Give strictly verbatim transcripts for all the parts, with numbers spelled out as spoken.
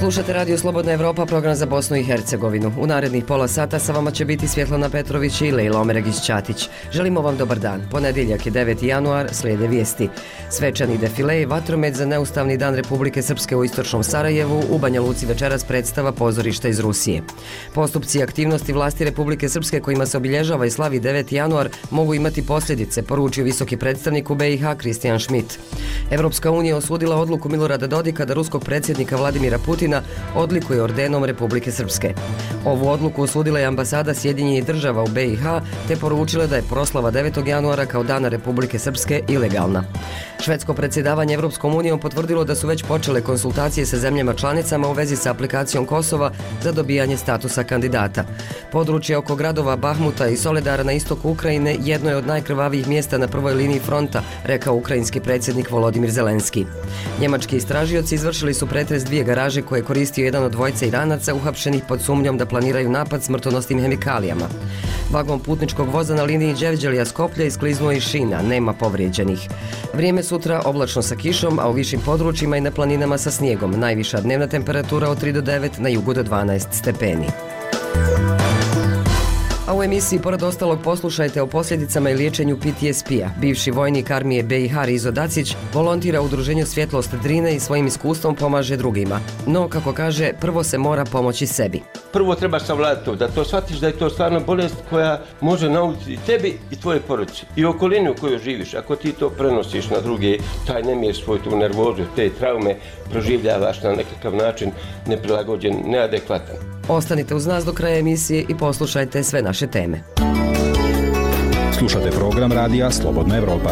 Slušate Radio Slobodna Evropa, program za Bosnu i Hercegovinu. U narednih pola sata sa vama će biti Svjetlana Petrović i Lejla Omeregić-Ćatić. Želimo vam dobar dan. Ponedjeljak je deveti januar, slijede vijesti. Svečani defile i vatromet za neustavni dan Republike Srpske u istočnom Sarajevu, u Banja Luci večeras predstava pozorišta iz Rusije. Postupci i aktivnosti vlasti Republike Srpske kojima se obilježava i slavi deveti januar mogu imati posljedice, poručio visoki predstavnik u B i H Kristijan Schmidt. Evropska unija osudila odluku Milorada Dodika da ruskog predsjednika Vladimira Putina odlikuje ordenom Republike Srpske. Ovu odluku osudila je ambasada Sjedinjenih država u B i H te poručila da je proslava devetog januara kao dana Republike Srpske ilegalna. Švedsko predsjedavanje Evropskom unijom potvrdilo da su već počele konsultacije sa zemljama članicama u vezi sa aplikacijom Kosova za dobijanje statusa kandidata. Područje oko gradova Bahmuta i Soledara na istoku Ukrajine jedno je od najkrvavijih mjesta na prvoj liniji fronta, rekao ukrajinski predsjednik Volodimir Zelenski. Njemački istražioci izvršili su pretres dvije garaže koje je koristio jedan od dvojice Iranaca uhapšenih pod sumnjom da planiraju napad smrtonosnim hemikalijama. Vagon putničkog voza na liniji Đevđelija-Skoplje iskliznuo iz šina, nema povrijeđenih. Vrijeme sutra oblačno sa kišom, a u višim područjima i na planinama sa snijegom. Najviša dnevna temperatura od tri do devet, na jugu do dvanaest stepeni. A u emisiji pored ostalog poslušajte o posljedicama i liječenju P T S P-a. Bivši vojnik armije B i H Rizo Dacić volontira u udruženju Svjetlost Drine i svojim iskustvom pomaže drugima. No, kako kaže, prvo se mora pomoći sebi. Prvo treba savladati to, da to shvatiš da je to stvarno bolest koja može naučiti tebi i tvoje porodice i okolinu u kojoj živiš. Ako ti to prenosiš na druge, taj nemir svoj, tu nervozu, te traume proživljavaš na nekakav način neprilagođen, neadekvatan. Ostanite uz nas do kraja emisije i poslušajte sve naše teme. Slušate program radija Slobodna Evropa.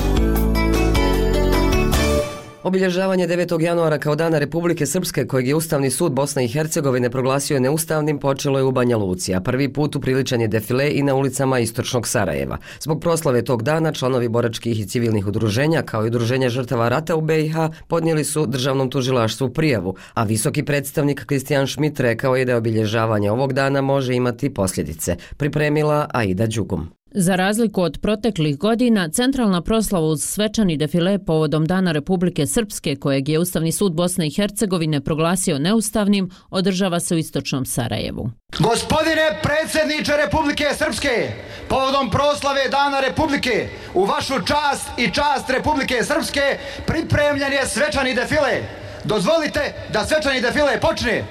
Obilježavanje devetog januara kao dana Republike Srpske, kojeg je Ustavni sud Bosne i Hercegovine proglasio neustavnim, počelo je u Banja Luci, a prvi put upriličen je defile i na ulicama istočnog Sarajeva. Zbog proslave tog dana članovi boračkih i civilnih udruženja, kao i udruženja žrtava rata u B i H, podnijeli su državnom tužilaštvu prijavu, a visoki predstavnik Kristijan Schmidt rekao je da obilježavanje ovog dana može imati posljedice. Pripremila Aida Đugum. Za razliku od proteklih godina, centralna proslava uz svečani defile povodom Dana Republike Srpske, kojeg je Ustavni sud Bosne i Hercegovine proglasio neustavnim, održava se u istočnom Sarajevu. Gospodine predsjedniče Republike Srpske, povodom proslave Dana Republike, u vašu čast i čast Republike Srpske pripremljen je svečani defile. Dozvolite da svečani defile počne.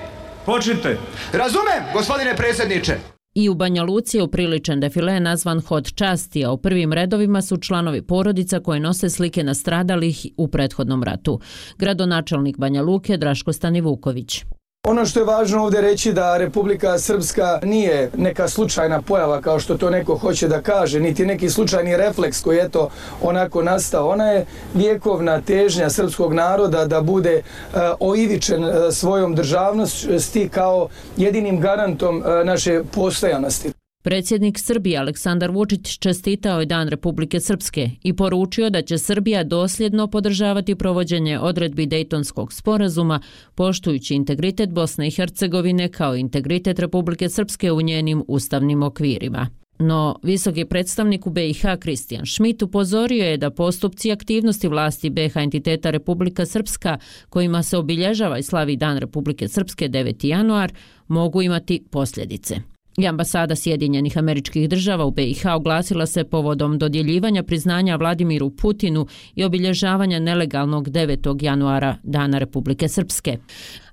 Počnite. Razumem, gospodine predsjedniče. I u Banja Luci je upriličen defile nazvan Hod časti, a u prvim redovima su članovi porodica koje nose slike nastradalih u prethodnom ratu. Gradonačelnik Banja Luke Draško Stanivuković. Ono što je važno ovdje reći da Republika Srpska nije neka slučajna pojava kao što to neko hoće da kaže, niti neki slučajni refleks koji je to onako nastao. Ona je vjekovna težnja srpskog naroda da bude uh, oivičen uh, svojom državnosti kao jedinim garantom uh, naše postojanosti. Predsjednik Srbije Aleksandar Vučić čestitao je Dan Republike Srpske i poručio da će Srbija dosljedno podržavati provođenje odredbi Dejtonskog sporazuma, poštujući integritet Bosne i Hercegovine kao integritet Republike Srpske u njenim ustavnim okvirima. No, visoki predstavnik u B i H Kristijan Schmidt upozorio je da postupci i aktivnosti vlasti B i H entiteta Republika Srpska, kojima se obilježava i slavi Dan Republike Srpske deveti januar, mogu imati posljedice. I ambasada Sjedinjenih Američkih Država u B i H oglasila se povodom dodjeljivanja priznanja Vladimiru Putinu i obilježavanja nelegalnog devetog januara Dana Republike Srpske.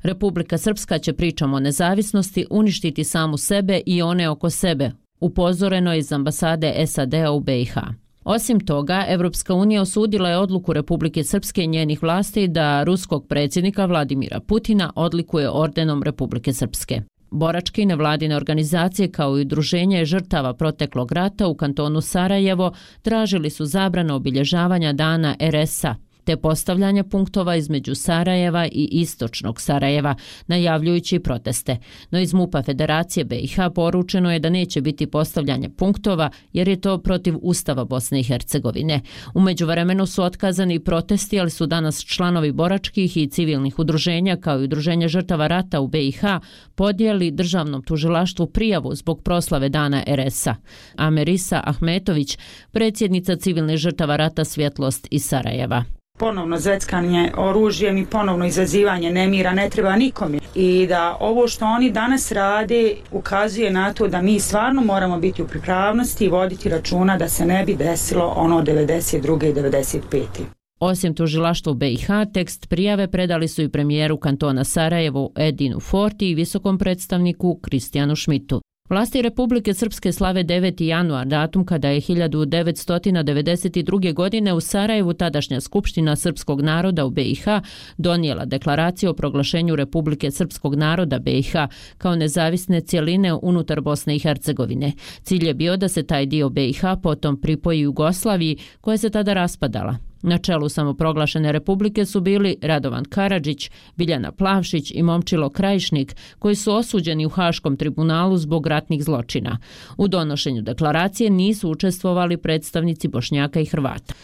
Republika Srpska će pričom o nezavisnosti uništiti samu sebe i one oko sebe, upozoreno je iz ambasade S A D-a u B i H. Osim toga, Evropska unija osudila je odluku Republike Srpske i njenih vlasti da ruskog predsjednika Vladimira Putina odlikuje ordenom Republike Srpske. Boračke i nevladine organizacije kao i udruženje žrtava proteklog rata u kantonu Sarajevo tražili su zabranu obilježavanja dana R S A te postavljanja punktova između Sarajeva i istočnog Sarajeva, najavljujući proteste. No iz MUP-a Federacije B i H poručeno je da neće biti postavljanja punktova jer je to protiv Ustava Bosne i Hercegovine. U međuvremenu su otkazani protesti, ali su danas članovi boračkih i civilnih udruženja kao i udruženja žrtava rata u B i H podijeli državnom tužilaštvu prijavu zbog proslave dana R S A. Amerisa Ahmetović, predsjednica civilnih žrtava rata Svjetlost iz Sarajeva. Ponovno zveckanje oružjem i ponovno izazivanje nemira ne treba nikome. I da ovo što oni danas rade ukazuje na to da mi stvarno moramo biti u pripravnosti i voditi računa da se ne bi desilo ono devedeset druge i devedeset pete Osim tužilaštva u B i H, tekst prijave predali su i premijeru kantona Sarajevo Edinu Forti i visokom predstavniku Kristijanu Šmitu. Vlasti Republike Srpske slave deveti januar, datum kada je hiljadu devetsto devedeset druge. godine u Sarajevu tadašnja Skupština srpskog naroda u B i H donijela deklaraciju o proglašenju Republike Srpskog naroda B i H kao nezavisne cjeline unutar Bosne i Hercegovine. Cilj je bio da se taj dio B i H potom pripoji Jugoslaviji koja se tada raspadala. Na čelu samoproglašene republike su bili Radovan Karadžić, Biljana Plavšić i Momčilo Krajišnik, koji su osuđeni u Haškom tribunalu zbog ratnih zločina. U donošenju deklaracije nisu učestvovali predstavnici Bošnjaka i Hrvata.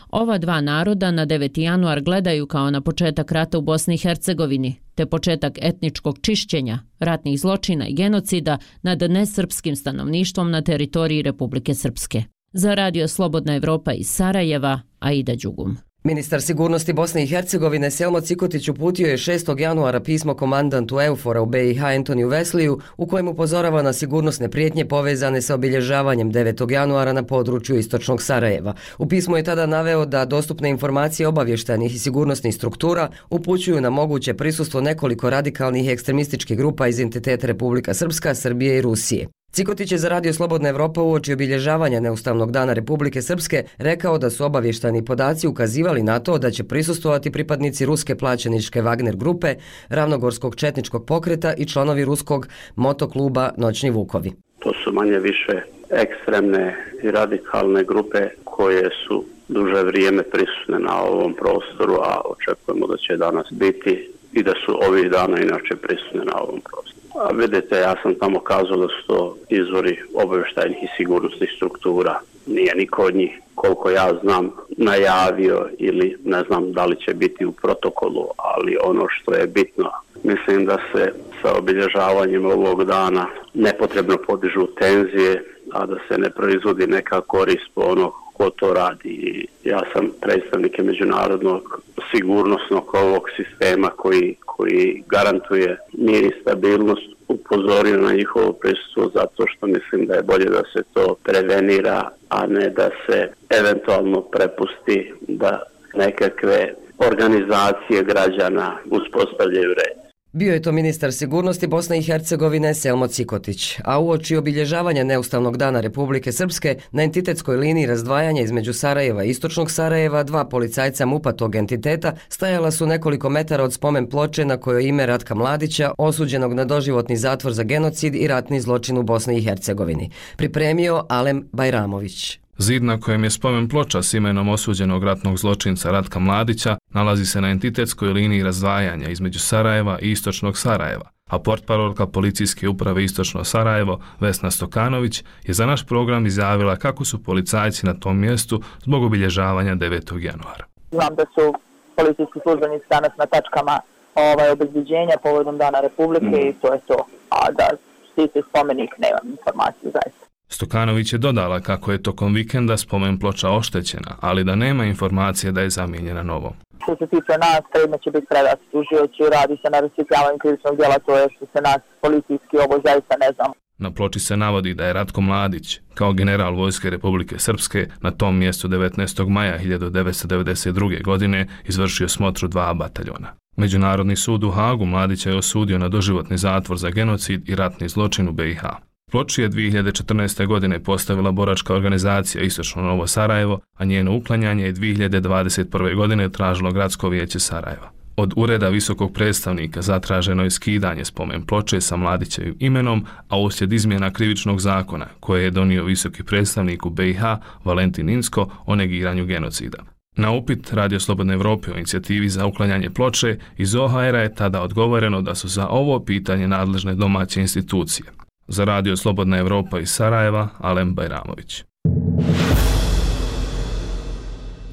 Ova dva naroda na deveti januar gledaju kao na početak rata u Bosni i Hercegovini, te početak etničkog čišćenja, ratnih zločina i genocida nad nesrpskim stanovništvom na teritoriji Republike Srpske. Za radio Slobodna Evropa iz Sarajeva, Aida Đugum. Ministar sigurnosti Bosne i Hercegovine Selmo Cikotić uputio je šestog januara pismo komandantu EUFOR-a u B i H Antoniju Vesliju u kojem upozorava na sigurnosne prijetnje povezane sa obilježavanjem devetog januara na području istočnog Sarajeva. U pismu je tada naveo da dostupne informacije obavještajnih i sigurnosnih struktura upućuju na moguće prisustvo nekoliko radikalnih ekstremističkih grupa iz entiteta Republika Srpska, Srbije i Rusije. Cikotić je za radio Slobodna Evropa uoči obilježavanja Neustavnog dana Republike Srpske rekao da su obavještajni podaci ukazivali na to da će prisustvovati pripadnici ruske plaćeničke Wagner grupe, Ravnogorskog četničkog pokreta i članovi ruskog motokluba Noćni Vukovi. To su manje više ekstremne i radikalne grupe koje su duže vrijeme prisutne na ovom prostoru, a očekujemo da će danas biti i da su ovih dana inače prisutne na ovom prostoru. A vidite, ja sam tamo kazao da su to izvori obavještajnih i sigurnosnih struktura. Nije niko od njih, koliko ja znam, najavio ili ne znam da li će biti u protokolu, ali ono što je bitno, mislim da se sa obilježavanjem ovog dana nepotrebno podižu tenzije, a da se ne proizvodi neka korist po onog ko to radi. I ja sam predstavnike međunarodnog sigurnosnog ovog sistema koji, koji garantuje mir i stabilnost upozorio na njihovo prisustvo zato što mislim da je bolje da se to prevenira, a ne da se eventualno prepusti da nekakve organizacije građana uspostavljaju red. Bio je to ministar sigurnosti Bosne i Hercegovine Selmo Cikotić, a uoči obilježavanja Neustavnog dana Republike Srpske na entitetskoj liniji razdvajanja između Sarajeva i istočnog Sarajeva dva policajca MUP-a tog entiteta stajala su nekoliko metara od spomen ploče na kojoj ime Ratka Mladića, osuđenog na doživotni zatvor za genocid i ratni zločin u Bosni i Hercegovini. Pripremio Alem Bajramović. Zid na kojem je spomen ploča s imenom osuđenog ratnog zločinca Ratka Mladića nalazi se na entitetskoj liniji razdvajanja između Sarajeva i istočnog Sarajeva, a portparolka policijske uprave Istočno Sarajevo Vesna Stokanović je za naš program izjavila kako su policajci na tom mjestu zbog obilježavanja devetog januara. Znam da su policijski službenici danas na tačkama ovaj, obezbeđenja povodom Dana Republike mm. i to je to, a da štiti spomenik nemam informaciju zaista. Stokanović je dodala kako je tokom vikenda spomen ploča oštećena, ali da nema informacije da je zamijenjena novom. Što se tiče nas, predmet će biti predat tužioci, radi se na rasvjetljavanju krivičnog djela, to je što se nas policijski ovo zaista ne znamo. Na ploči se navodi da je Ratko Mladić, kao general Vojske Republike Srpske, na tom mjestu devetnaestog maja hiljadu devetsto devedeset druge. godine izvršio smotru dva bataljona. Međunarodni sud u Hagu Mladića je osudio na doživotni zatvor za genocid i ratni zločin u B i H. Ploču je dvije hiljade četrnaeste. godine postavila boračka organizacija Istočno Novo Sarajevo, a njeno uklanjanje je dvije hiljade dvadeset prve. godine tražilo Gradsko vijeće Sarajeva. Od ureda visokog predstavnika zatraženo je skidanje spomen ploče sa Mladićevim imenom, a uslijed izmjena krivičnog zakona koje je donio visoki predstavnik u B i H Valentin Insko o negiranju genocida. Na upit Radio Slobodne Evrope o inicijativi za uklanjanje ploče iz O H R-a je tada odgovoreno da su za ovo pitanje nadležne domaće institucije. Za Radio Slobodna Evropa iz Sarajeva, Alem Bajramović.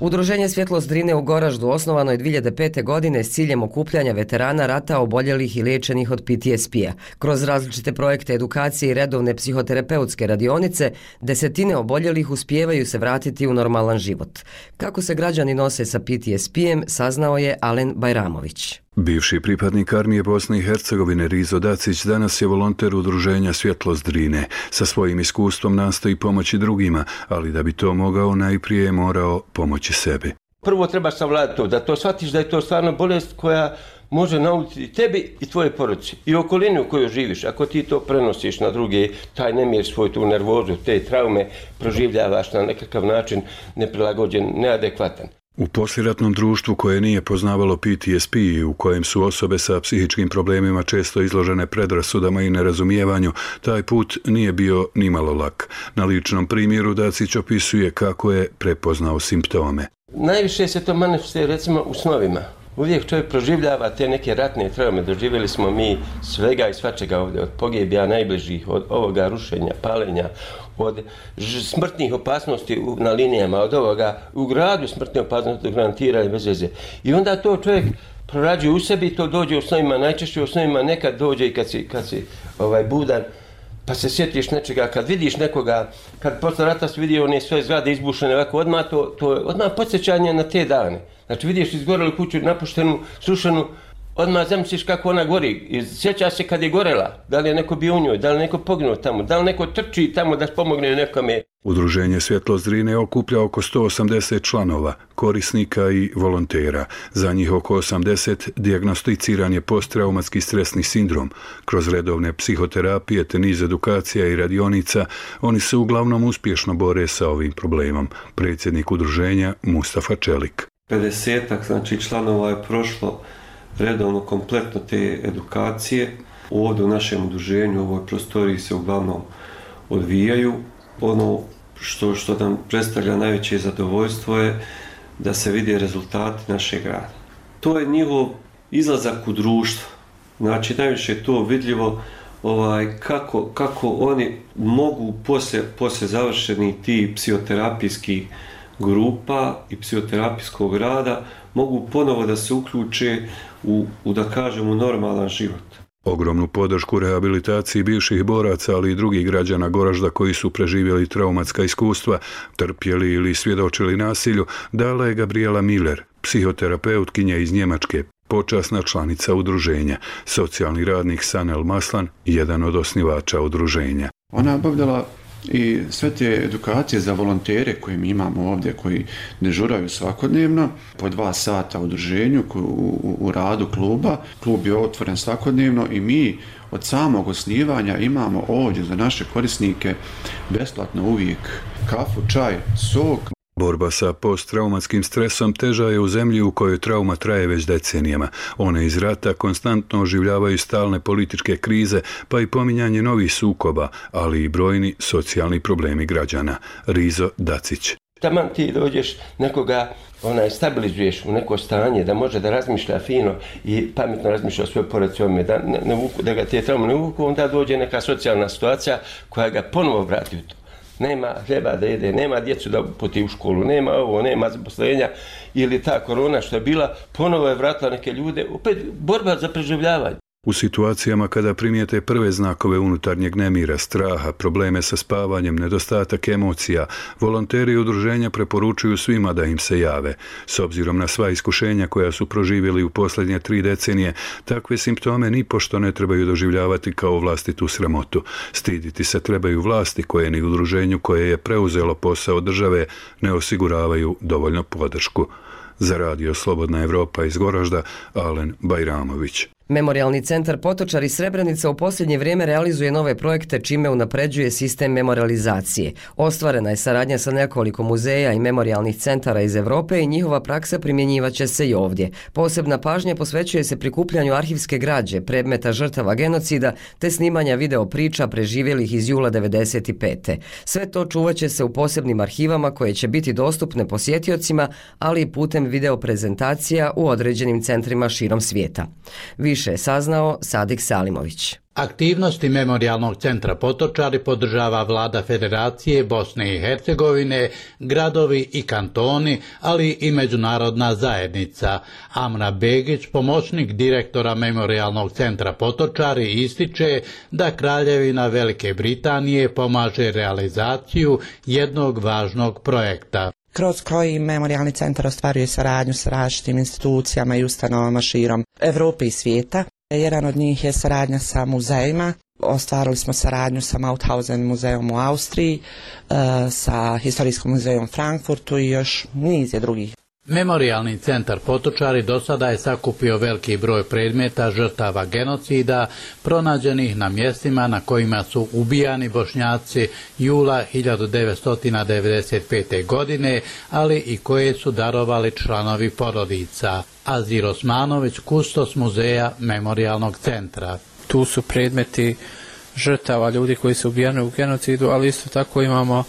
Udruženje Svjetlost Drine u Goraždu osnovano je dvije hiljade pete. godine s ciljem okupljanja veterana rata, oboljelih i liječenih od P T S P-a. Kroz različite projekte edukacije i redovne psihoterapeutske radionice, desetine oboljelih uspijevaju se vratiti u normalan život. Kako se građani nose sa P T S P-em, saznao je Alen Bajramović. Bivši pripadnik armije Bosne i Hercegovine Rizo Dacić danas je volonter udruženja Svjetlost Drine. Sa svojim iskustvom nastoji pomoći drugima, ali da bi to mogao najprije je morao pomoći sebi. Prvo treba savladati to, da to shvatiš da je to stvarno bolest koja može naučiti tebi i tvoje porodice i okolini u kojoj živiš. Ako ti to prenosiš na druge, taj nemir, svoj tu nervozu, te traume proživljavaš na nekakav način neprilagođen, neadekvatan. U posliratnom društvu koje nije poznavalo P T S P i u kojem su osobe sa psihičkim problemima često izložene predrasudama i nerazumijevanju, taj put nije bio nimalo lak. Na ličnom primjeru Dacić opisuje kako je prepoznao simptome. Najviše se to manifestuje recimo u snovima. Uvijek čovjek proživljava te neke ratne traume. Doživjeli smo mi svega i svačega ovdje, od pogibija najbližih, od ovoga rušenja, palenja, od smrtnih opasnosti na linijama, od ovoga u gradu smrtne opasnosti, garantiranja bez veze. I onda to čovjek prorađuje u sebi, to dođe u snovima, najčešće u snovima, nekad dođe i kad si, kad si ovaj, budan, pa se sjetiš nečega, kad vidiš nekoga, kad posle rata si vidio one sve zgrade izbušene ovako, odmah to, to je odmah podsjećanje na te dane. Znači vidiš izgorelu kuću, napuštenu, srušenu, odmah zamisliš kako ona gori. I sjeća se kad je gorela, da li je neko bio u njoj, da li je neko poginuo tamo, da li neko trči tamo da pomogne nekome. Udruženje Svjetlost Drine okuplja oko sto osamdeset članova, korisnika i volontera. Za njih oko osamdeset dijagnosticiran je posttraumatski stresni sindrom. Kroz redovne psihoterapije te niz edukacija i radionica oni se uglavnom uspješno bore sa ovim problemom. Predsjednik udruženja Mustafa Čelik. pedesetak znači članova je prošlo redovno kompletno te edukacije. Ovdje u našem udruženju, u ovoj prostoriji se uglavnom odvijaju. Ono što, što nam predstavlja najveće zadovoljstvo je da se vide rezultati našeg rada. To je njihov izlazak u društvo. Znači najviše je to vidljivo ovaj, kako, kako oni mogu poslije, poslije završenih ti psihoterapijskih grupa i psihoterapijskog rada mogu ponovo da se uključe u, u da kažemo, normalan život. Ogromnu podršku rehabilitaciji bivših boraca, ali i drugih građana Goražda koji su preživjeli traumatska iskustva, trpjeli ili svjedočili nasilju, dala je Gabriela Miller, psihoterapeutkinja iz Njemačke, počasna članica udruženja. Socijalni radnik Sanel Maslan, jedan od osnivača udruženja. Ona je obavljala i sve te edukacije za volontere koje mi imamo ovdje, koji dežuraju svakodnevno, po dva sata u udruženju, u, u, u radu kluba. Klub je otvoren svakodnevno i mi od samog osnivanja imamo ovdje za naše korisnike besplatno uvijek kafu, čaj, sok. Borba sa posttraumatskim stresom teža je u zemlji u kojoj trauma traje već decenijama. One iz rata konstantno oživljavaju stalne političke krize, pa i pominjanje novih sukoba, ali i brojni socijalni problemi građana. Rizo Dacić. Taman ti dođeš nekoga, onaj, stabilizuješ u neko stanje da može da razmišlja fino i pametno razmišlja o svojoj porodici, da, ne, ne vuku, da ga te traume ne uvuku, onda dođe neka socijalna situacija koja ga ponovo vrati u to. Nema hljeba da jede, nema djecu da uputi u školu, nema ovo, nema zaposlenja ili ta korona što je bila, ponovo je vratila neke ljude, opet borba za preživljavanje. U situacijama kada primijete prve znakove unutarnjeg nemira, straha, probleme sa spavanjem, nedostatak emocija, volonteri i udruženja preporučuju svima da im se jave. S obzirom na sva iskušenja koja su proživjeli u posljednje tri decenije, takve simptome nipošto ne trebaju doživljavati kao vlastitu sramotu. Stiditi se trebaju vlasti koje ni udruženju koje je preuzelo posao države ne osiguravaju dovoljno podršku. Za radio Slobodna Evropa iz Goražda, Alen Bajramović. Memorijalni centar Potočari Srebrenica u posljednje vrijeme realizuje nove projekte čime unapređuje sistem memorializacije. Ostvarena je saradnja sa nekoliko muzeja i memorijalnih centara iz Europe i njihova praksa primjenjivaće se i ovdje. Posebna pažnja posvećuje se prikupljanju arhivske građe, predmeta žrtava genocida te snimanja video priča preživjelih iz jula devedeset pete. Sve to čuvaće se u posebnim arhivama koje će biti dostupne posjetiocima, ali i putem video prezentacija u određenim centrima širom svijeta. Više Više je saznao Sadik Salimović. Aktivnosti Memorijalnog centra Potočari podržava Vlada Federacije Bosne i Hercegovine, gradovi i kantoni, ali i međunarodna zajednica. Amra Begić, pomoćnik direktora Memorijalnog centra Potočari, ističe da Kraljevina Velike Britanije pomaže realizaciju jednog važnog projekta, kroz koji Memorijalni centar ostvaruje saradnju sa različitim institucijama i ustanovama širom Evrope i svijeta. Jedan od njih je saradnja sa muzejima. Ostvarili smo saradnju sa Mauthausen muzejom u Austriji, sa Historijskom muzejom u Frankfurtu i još niz je drugih. Memorijalni centar Potočari do sada je sakupio veliki broj predmeta žrtava genocida pronađenih na mjestima na kojima su ubijani Bošnjaci jula hiljadu devetsto devedeset pete. godine, ali i koje su darovali članovi porodica. Azir Osmanović, kustos muzeja Memorijalnog centra. Tu su predmeti žrtava ljudi koji su ubijani u genocidu, ali isto tako imamo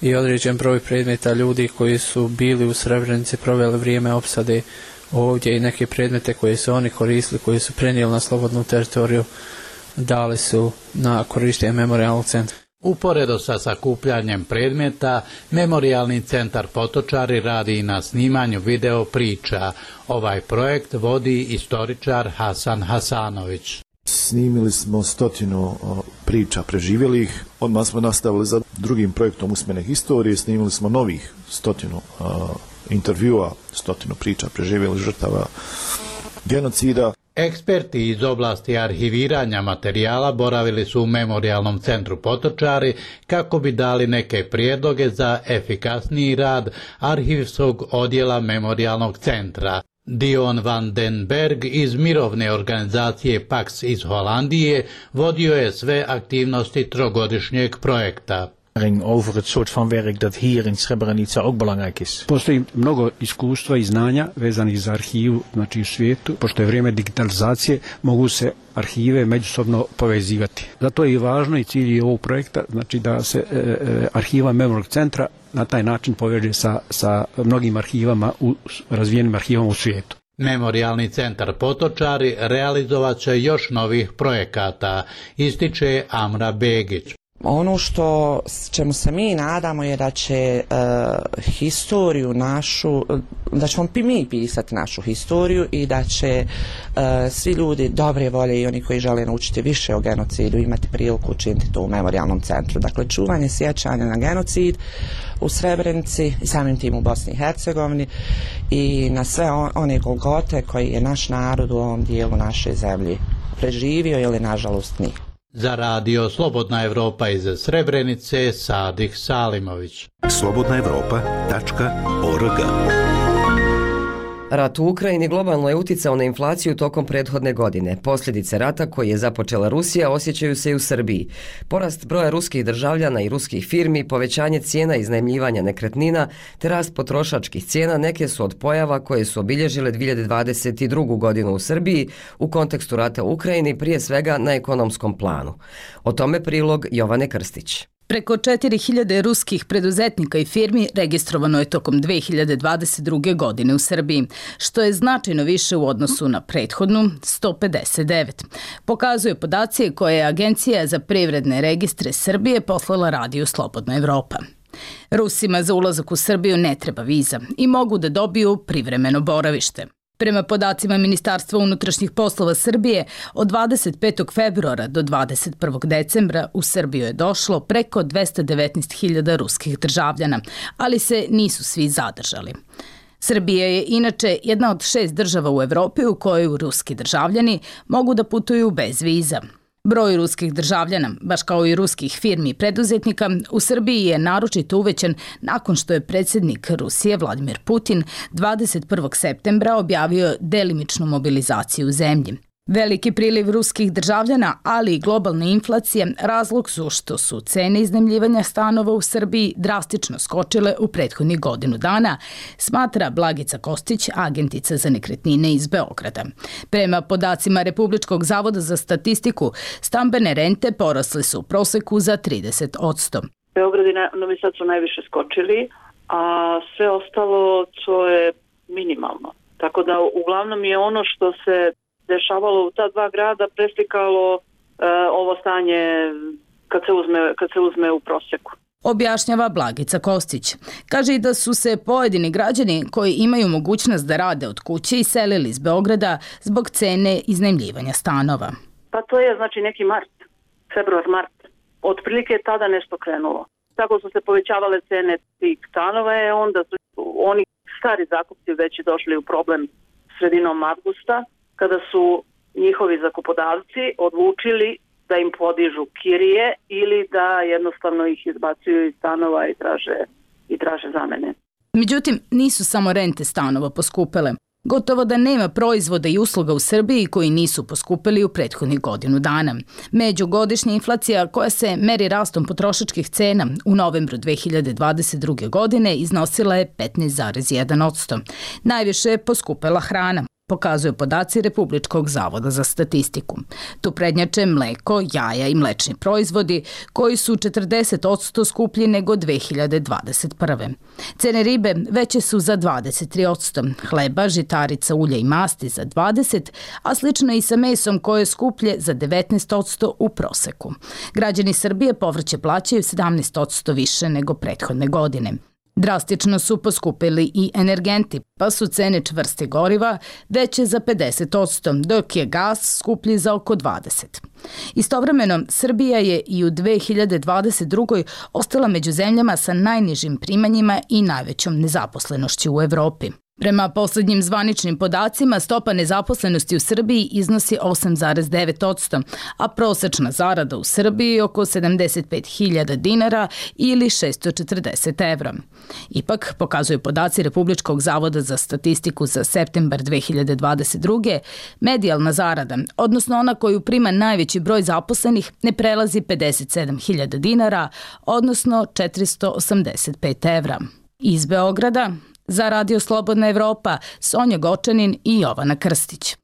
i određen broj predmeta ljudi koji su bili u Srebrenici, proveli vrijeme opsade ovdje i neke predmete koje su oni koristili, koji su prenijeli na slobodnu teritoriju, dali su na korištenje Memorijalnog centra. Uporedo sa sakupljanjem predmeta, Memorijalni centar Potočari radi i na snimanju video priča. Ovaj projekt vodi istoričar Hasan Hasanović. Snimili smo stotinu priča preživjelih, odmah smo nastavili za drugim projektom usmene historije, snimili smo novih stotinu intervjua, stotinu priča preživjelih žrtava genocida. Eksperti iz oblasti arhiviranja materijala boravili su u Memorijalnom centru Potočari kako bi dali neke prijedloge za efikasniji rad arhivskog odjela Memorijalnog centra. Dion van den Berg iz mirovne organizacije Pax iz Holandije vodio je sve aktivnosti trogodišnjeg projekta. Over het soort van werk dat hier in Srebrenica ook belangrijk is. Postoji mnogo iskustva i znanja vezanih za arhivu, znači u svijetu, pošto je vrijeme digitalizacije, mogu se arhive međusobno povezivati. Zato je i važno i cilj ovog projekta, znači da se e, e, arhiva Memorijalnog centra na taj način poveže sa, sa mnogim arhivama, u, razvijenim arhivama u svijetu. Memorijalni centar Potočari realizovat će još novih projekata, ističe Amra Begić. Ono što čemu se mi nadamo je da će uh, historiju našu, da ćemo mi pisati našu historiju i da će uh, svi ljudi dobre volje i oni koji žele naučiti više o genocidu imati priliku učiniti to u Memorijalnom centru. Dakle, čuvanje sjećanja na genocid u Srebrenici i samim tim u Bosni i Hercegovini i na sve on, one golgote koji je naš narod u ovom dijelu naše zemlje preživio ili nažalost nije. Za radio Slobodna Evropa iz Srebrenice, Sadik Salimović. slobodna evropa tačka org. Rat u Ukrajini globalno je uticao na inflaciju tokom prethodne godine. Posljedice rata koji je započela Rusija osjećaju se i u Srbiji. Porast broja ruskih državljana i ruskih firmi, povećanje cijena iznajmljivanja nekretnina te rast potrošačkih cijena neke su od pojava koje su obilježile dvije hiljade dvadeset drugu. godinu u Srbiji u kontekstu rata u Ukrajini, prije svega na ekonomskom planu. O tome prilog Jovane Krstić. Preko četiri hiljade ruskih preduzetnika i firmi registrovano je tokom dvije hiljade dvadeset druge. godine u Srbiji, što je značajno više u odnosu na prethodnu sto pedeset devet. Pokazuje podaci koje je Agencija za privredne registre Srbije poslala radiju Slobodna Evropa. Rusima za ulazak u Srbiju ne treba viza i mogu da dobiju privremeno boravište. Prema podacima Ministarstva unutrašnjih poslova Srbije, od dvadeset petog februara do dvadeset prvog decembra u Srbiju je došlo preko dvesta devetnaest hiljada ruskih državljana, ali se nisu svi zadržali. Srbija je inače jedna od šest država u Evropi u kojoj ruski državljani mogu da putuju bez viza. Broj ruskih državljana, baš kao i ruskih firmi i preduzetnika, u Srbiji je naročito uvećan nakon što je predsjednik Rusije Vladimir Putin dvadeset prvog septembra objavio delimičnu mobilizaciju u zemlji. Veliki priliv ruskih državljana, ali i globalna inflacija razlog su što su cene iznajmljivanja stanova u Srbiji drastično skočile u prethodnih godinu dana, smatra Blagica Kostić, agentica za nekretnine iz Beograda. Prema podacima Republičkog zavoda za statistiku, stambene rente porasle su u proseku za trideset posto. Beograd i Novi Sad su najviše skočili, a sve ostalo to je minimalno. Tako da uglavnom je ono što se dešavalo u ta dva grada preslikalo uh, ovo stanje kad se uzme, kad se uzme u prosjeku. Objašnjava Blagica Kostić. Kaže i da su se pojedini građani koji imaju mogućnost da rade od kuće iselili iz Beograda zbog cene iznajmljivanja stanova. Pa to je znači neki mart, februar, mart. Otprilike je tada nešto krenulo. Tako su se povećavale cene tih stanova, je onda su oni stari zakupci već došli u problem sredinom avgusta, kada su njihovi zakupodavci odlučili da im podižu kirije ili da jednostavno ih izbacuju iz stanova i traže, i traže zamene. Međutim, nisu samo rente stanova poskupele. Gotovo da nema proizvoda i usluga u Srbiji koji nisu poskupili u prethodnih godinu dana. Međugodišnja inflacija koja se meri rastom potrošačkih cena u novembru dve hiljade dvadeset druge. godine iznosila je petnaest zarez jedan posto. Najviše je poskupela hrana, pokazuju podaci Republičkog zavoda za statistiku. Tu prednjače mleko, jaja i mlečni proizvodi koji su četrdeset posto skuplji nego dve hiljade dvadeset prve. Cene ribe veće su za dvadeset tri posto, hleba, žitarica, ulja i masti za dvadeset posto, a slično i sa mesom koje je skuplje za devetnaest posto u proseku. Građani Srbije povrće plaćaju sedamnaest posto više nego prethodne godine. Drastično su poskupili i energenti, pa su cene čvrstih goriva veće za pedeset posto, dok je gas skuplji za oko dvadeset posto. Istovremeno, Srbija je i u dve hiljade dvadeset drugoj. ostala među zemljama sa najnižim primanjima i najvećom nezaposlenošću u Evropi. Prema poslednjim zvaničnim podacima, stopa nezaposlenosti u Srbiji iznosi osam zarez devet posto, a prosečna zarada u Srbiji je oko sedamdeset pet hiljada dinara ili šesto četrdeset evra. Ipak, pokazuju podaci Republičkog zavoda za statistiku za septembar dve hiljade dvadeset druge. medijalna zarada, odnosno ona koju prima najveći broj zaposlenih, ne prelazi pedeset sedam hiljada dinara, odnosno četiristo osamdeset pet evra. Iz Beograda, za Radio Slobodna Evropa, Sonja Gočanin i Jovana Krstić.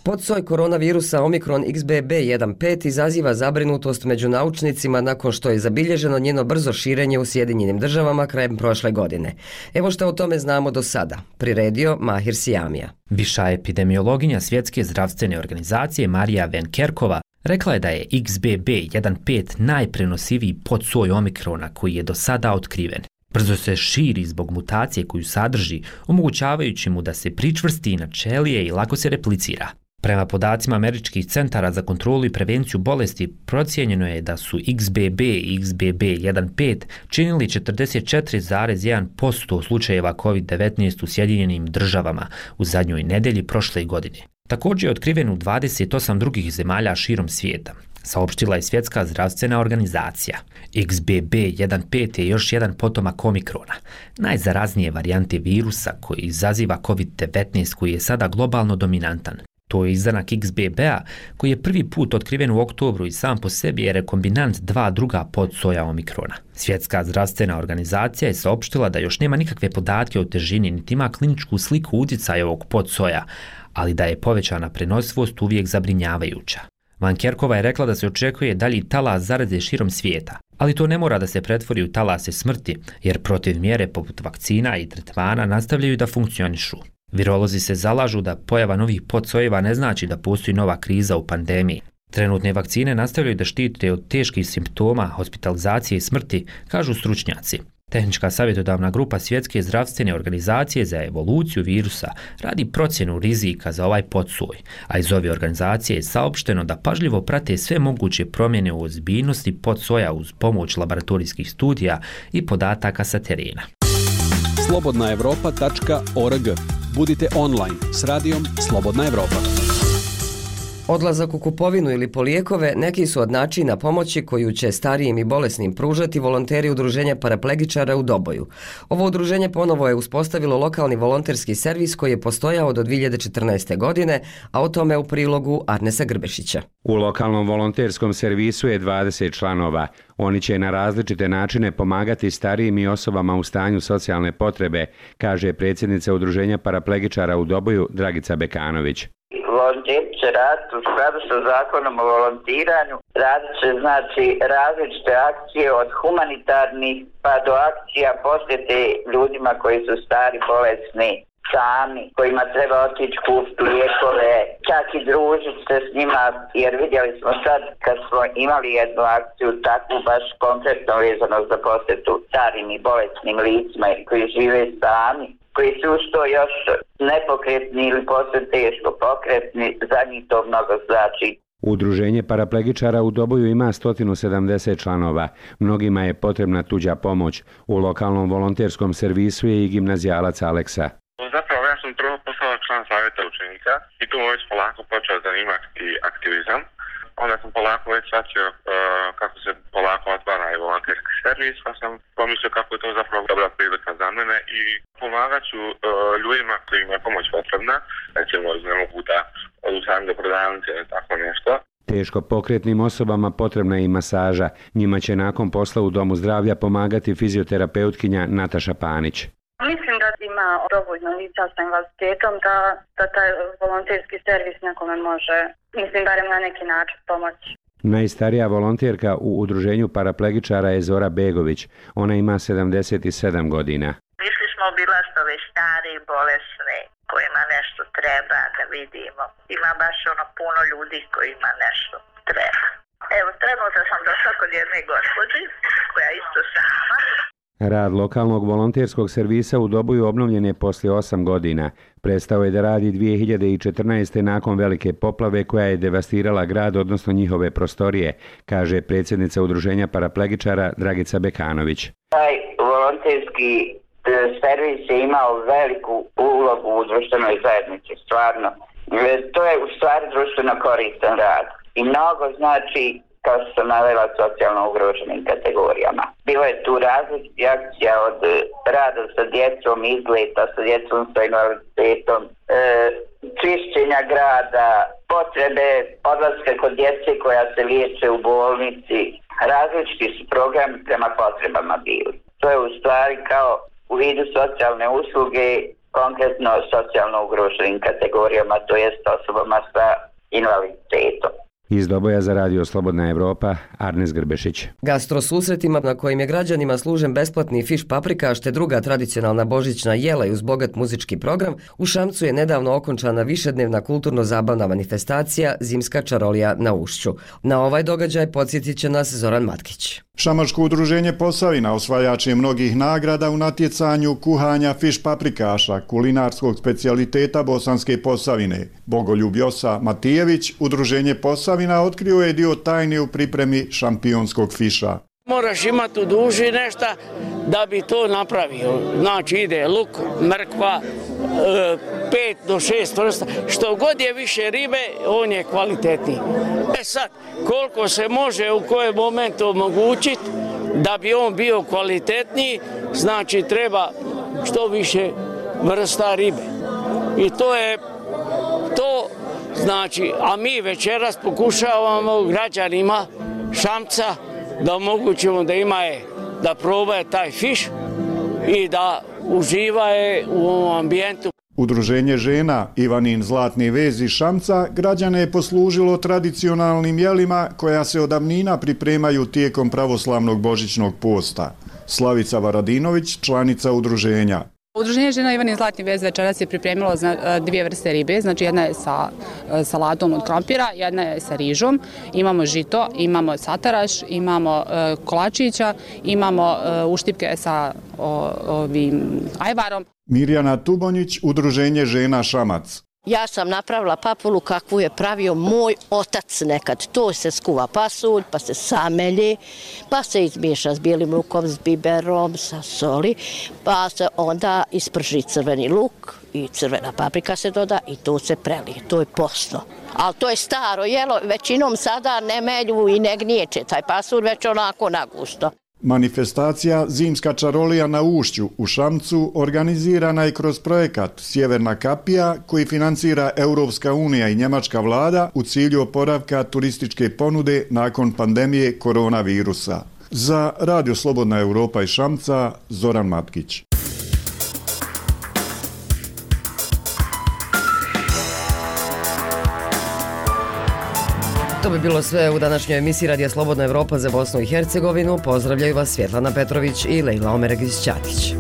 Podsoj koronavirusa Omikron X B B jedan pet izaziva zabrinutost među naučnicima nakon što je zabilježeno njeno brzo širenje u Sjedinjenim državama krajem prošle godine. Evo što o tome znamo do sada. Priredio Mahir Sijamija. Viša epidemiologinja Svjetske zdravstvene organizacije Marija Van Kerkova rekla je da je X B B jedan pet najprenosiviji podsoj Omikrona koji je do sada otkriven. Brzo se širi zbog mutacije koju sadrži, omogućavajući mu da se pričvrsti na ćelije i lako se replicira. Prema podacima američkih centara za kontrolu i prevenciju bolesti, procijenjeno je da su X B B i X B B jedan pet činili četrdeset četiri zarez jedan posto slučajeva kovid devetnaest u Sjedinjenim državama u zadnjoj nedelji prošle godine. Također je otkriven u dvadeset osam drugih zemalja širom svijeta, saopštila je Svjetska zdravstvena organizacija. X B B jedan pet je još jedan potomak Omikrona, najzaraznije varijante virusa koji izaziva kovid devetnaest koji je sada globalno dominantan. To je izdanak X B B-a koji je prvi put otkriven u oktobru i sam po sebi je rekombinant dva druga podsoja Omikrona. Svjetska zdravstvena organizacija je saopštila da još nema nikakve podatke o težini niti ima kliničku sliku utjecaja ovog podsoja, ali da je povećana prenosivost uvijek zabrinjavajuća. Van Kerkova je rekla da se očekuje dalji talas zaraze širom svijeta, ali to ne mora da se pretvori u talase smrti, jer protiv mjere poput vakcina i tretmana nastavljaju da funkcionišu. Virolozi se zalažu da pojava novih podsojeva ne znači da postoji nova kriza u pandemiji. Trenutne vakcine nastavljaju da štite od teških simptoma, hospitalizacije i smrti, kažu stručnjaci. Tehnička savjetodavna grupa Svjetske zdravstvene organizacije za evoluciju virusa radi procjenu rizika za ovaj podsoj, a iz ove organizacije je saopšteno da pažljivo prate sve moguće promjene u ozbiljnosti podsoja uz pomoć laboratorijskih studija i podataka sa terena. slobodna evropa tačka org. Budite online s radijom Slobodna Evropa. Odlazak u kupovinu ili po lijekove neki su od načina pomoći koju će starijim i bolesnim pružati volonteri udruženja paraplegičara u Doboju. Ovo udruženje ponovo je uspostavilo lokalni volonterski servis koji je postojao do dvije hiljade četrnaeste. godine, a o tome u prilogu Arnesa Grbešića. U lokalnom volonterskom servisu je dvadeset članova. Oni će na različite načine pomagati starijim i osobama u stanju socijalne potrebe, kaže predsjednica udruženja paraplegičara u Doboju Dragica Bekanović. Volonteri će raditi u skladu sa zakonom o volontiranju, radit će znači različite akcije od humanitarnih pa do akcija posjete ljudima koji su stari, bolesni sami, kojima treba otići kupiti lijekove, čak i družiti se s njima, jer vidjeli smo sad kad smo imali jednu akciju takvu baš konkretno vezano za posjetu starim i bolesnim licima koji žive sami, koji su uz to još nepokretni ili poslije teško pokretni, za njih to mnogo znači. Udruženje paraplegičara u Doboju ima sto sedamdeset članova. Mnogima je potrebna tuđa pomoć. U lokalnom volonterskom servisu je i gimnazijalac Aleksa. Zapravo ja sam prvo postao član savjeta učenika i tu već polako počeo zanimati aktivizam. Onda sam polako već shvatio uh, kako se polako otvara i volonterski servis, pa sam pomislio kako je to zapravo dobra prilika za mene i pomagat ću uh, ljudima kojima je pomoć potrebna, recimo ne mogu da odu sami do prodavnice ili tako nešto. Teško pokretnim osobama potrebna je i masaža. Njima će nakon posla u Domu zdravlja pomagati fizioterapeutkinja Nataša Panić. Mislim da ima dovoljno lica sa invaliditetom da, da taj volonterski servis nekome može, mislim, barem na neki način pomoći. Najstarija volonterka u udruženju paraplegičara je Zora Begović. Ona ima sedamdeset sedam godina. Išli smo obilaziti stari i bolesni kojima nešto treba da vidimo. Ima baš ono puno ljudi kojima nešto treba. Evo, trenutno sam došla kod jedne gospođe koja isto sama. Rad lokalnog volonterskog servisa u Doboju obnovljen je poslije osam godina. Prestao je da radi dvije hiljade četrnaeste. nakon velike poplave koja je devastirala grad, odnosno njihove prostorije, kaže predsjednica udruženja paraplegičara Dragica Bekanović. Taj volonterski servis je imao veliku ulogu u društvenoj zajednici, stvarno. To je u stvari društveno koristan rad i mnogo znači, kao što sam navela, socijalno ugroženim kategorijama. Bilo je tu različitih akcija od rada sa djecom, izleta sa djecom sa invaliditetom, e, čišćenja grada, potrebe odlaska kod djece koja se liječe u bolnici. Različiti su programi prema potrebama bili. To je u stvari kao u vidu socijalne usluge, konkretno socijalno ugroženim kategorijama, to jest osobama sa invaliditetom. Iz Doboja za radio Slobodna Evropa, Arnes Grbešić. Gastro susretima na kojim je građanima služen besplatni fiš paprikaš te druga tradicionalna božićna jela i uz bogat muzički program, u Šamcu je nedavno okončana višednevna kulturno-zabavna manifestacija Zimska čarolija na Ušću. Na ovaj događaj podsjetit će nas Zoran Matkić. Šamačko udruženje Posavina osvajač je mnogih nagrada u natjecanju kuhanja fiš paprikaša, kulinarskog specijaliteta Bosanske Posavine. Bogoljub Josa Matijević, udruženje Posavina, otkrio je dio tajne u pripremi šampionskog fiša. Moraš imati u duži nešto da bi to napravio. Znači ide luk, mrkva, pet do šest vrsta. Što god je više ribe, on je kvalitetniji. E sad, koliko se može u kojem momentu omogućiti da bi on bio kvalitetniji, znači treba što više vrsta ribe. I to je to, znači, a mi večeras pokušavamo građanima Šamca da omogućimo da ima je, da probaje taj fiš i da uživa je u ovom ambijentu. Udruženje žena Ivanin Zlatni vez iz Šamca građane je poslužilo tradicionalnim jelima koja se od davnina pripremaju tijekom pravoslavnog božićnog posta. Slavica Varadinović, članica udruženja. Udruženje žena Ivanin Zlatni vez večeras je pripremilo dvije vrste ribe, znači jedna je sa salatom od krompira, jedna je sa rižom, imamo žito, imamo sataraš, imamo kolačića, imamo uštipke sa ovim ajvarom. Mirjana Tubonjić, udruženje žena Šamac. Ja sam napravila papulu kakvu je pravio moj otac nekad. To se skuva pasulj, pa se samelji, pa se izmiješa s bijelim lukom, s biberom, sa soli, pa se onda isprži crveni luk i crvena paprika se doda i to se prelije. To je posno. Ali to je staro jelo, većinom sada ne melju i ne gniječe taj pasulj, već onako nagusto. Manifestacija Zimska čarolija na Ušću u Šamcu organizirana je kroz projekat Sjeverna kapija koji financira Europska unija i njemačka vlada u cilju oporavka turističke ponude nakon pandemije koronavirusa. Za Radio Slobodna Evropa iz Šamca, Zoran Matkić. To bi bilo sve u današnjoj emisiji Radija Slobodna Evropa za Bosnu i Hercegovinu. Pozdravljaju vas Svjetlana Petrović i Lejla Omeregić-Ćatić.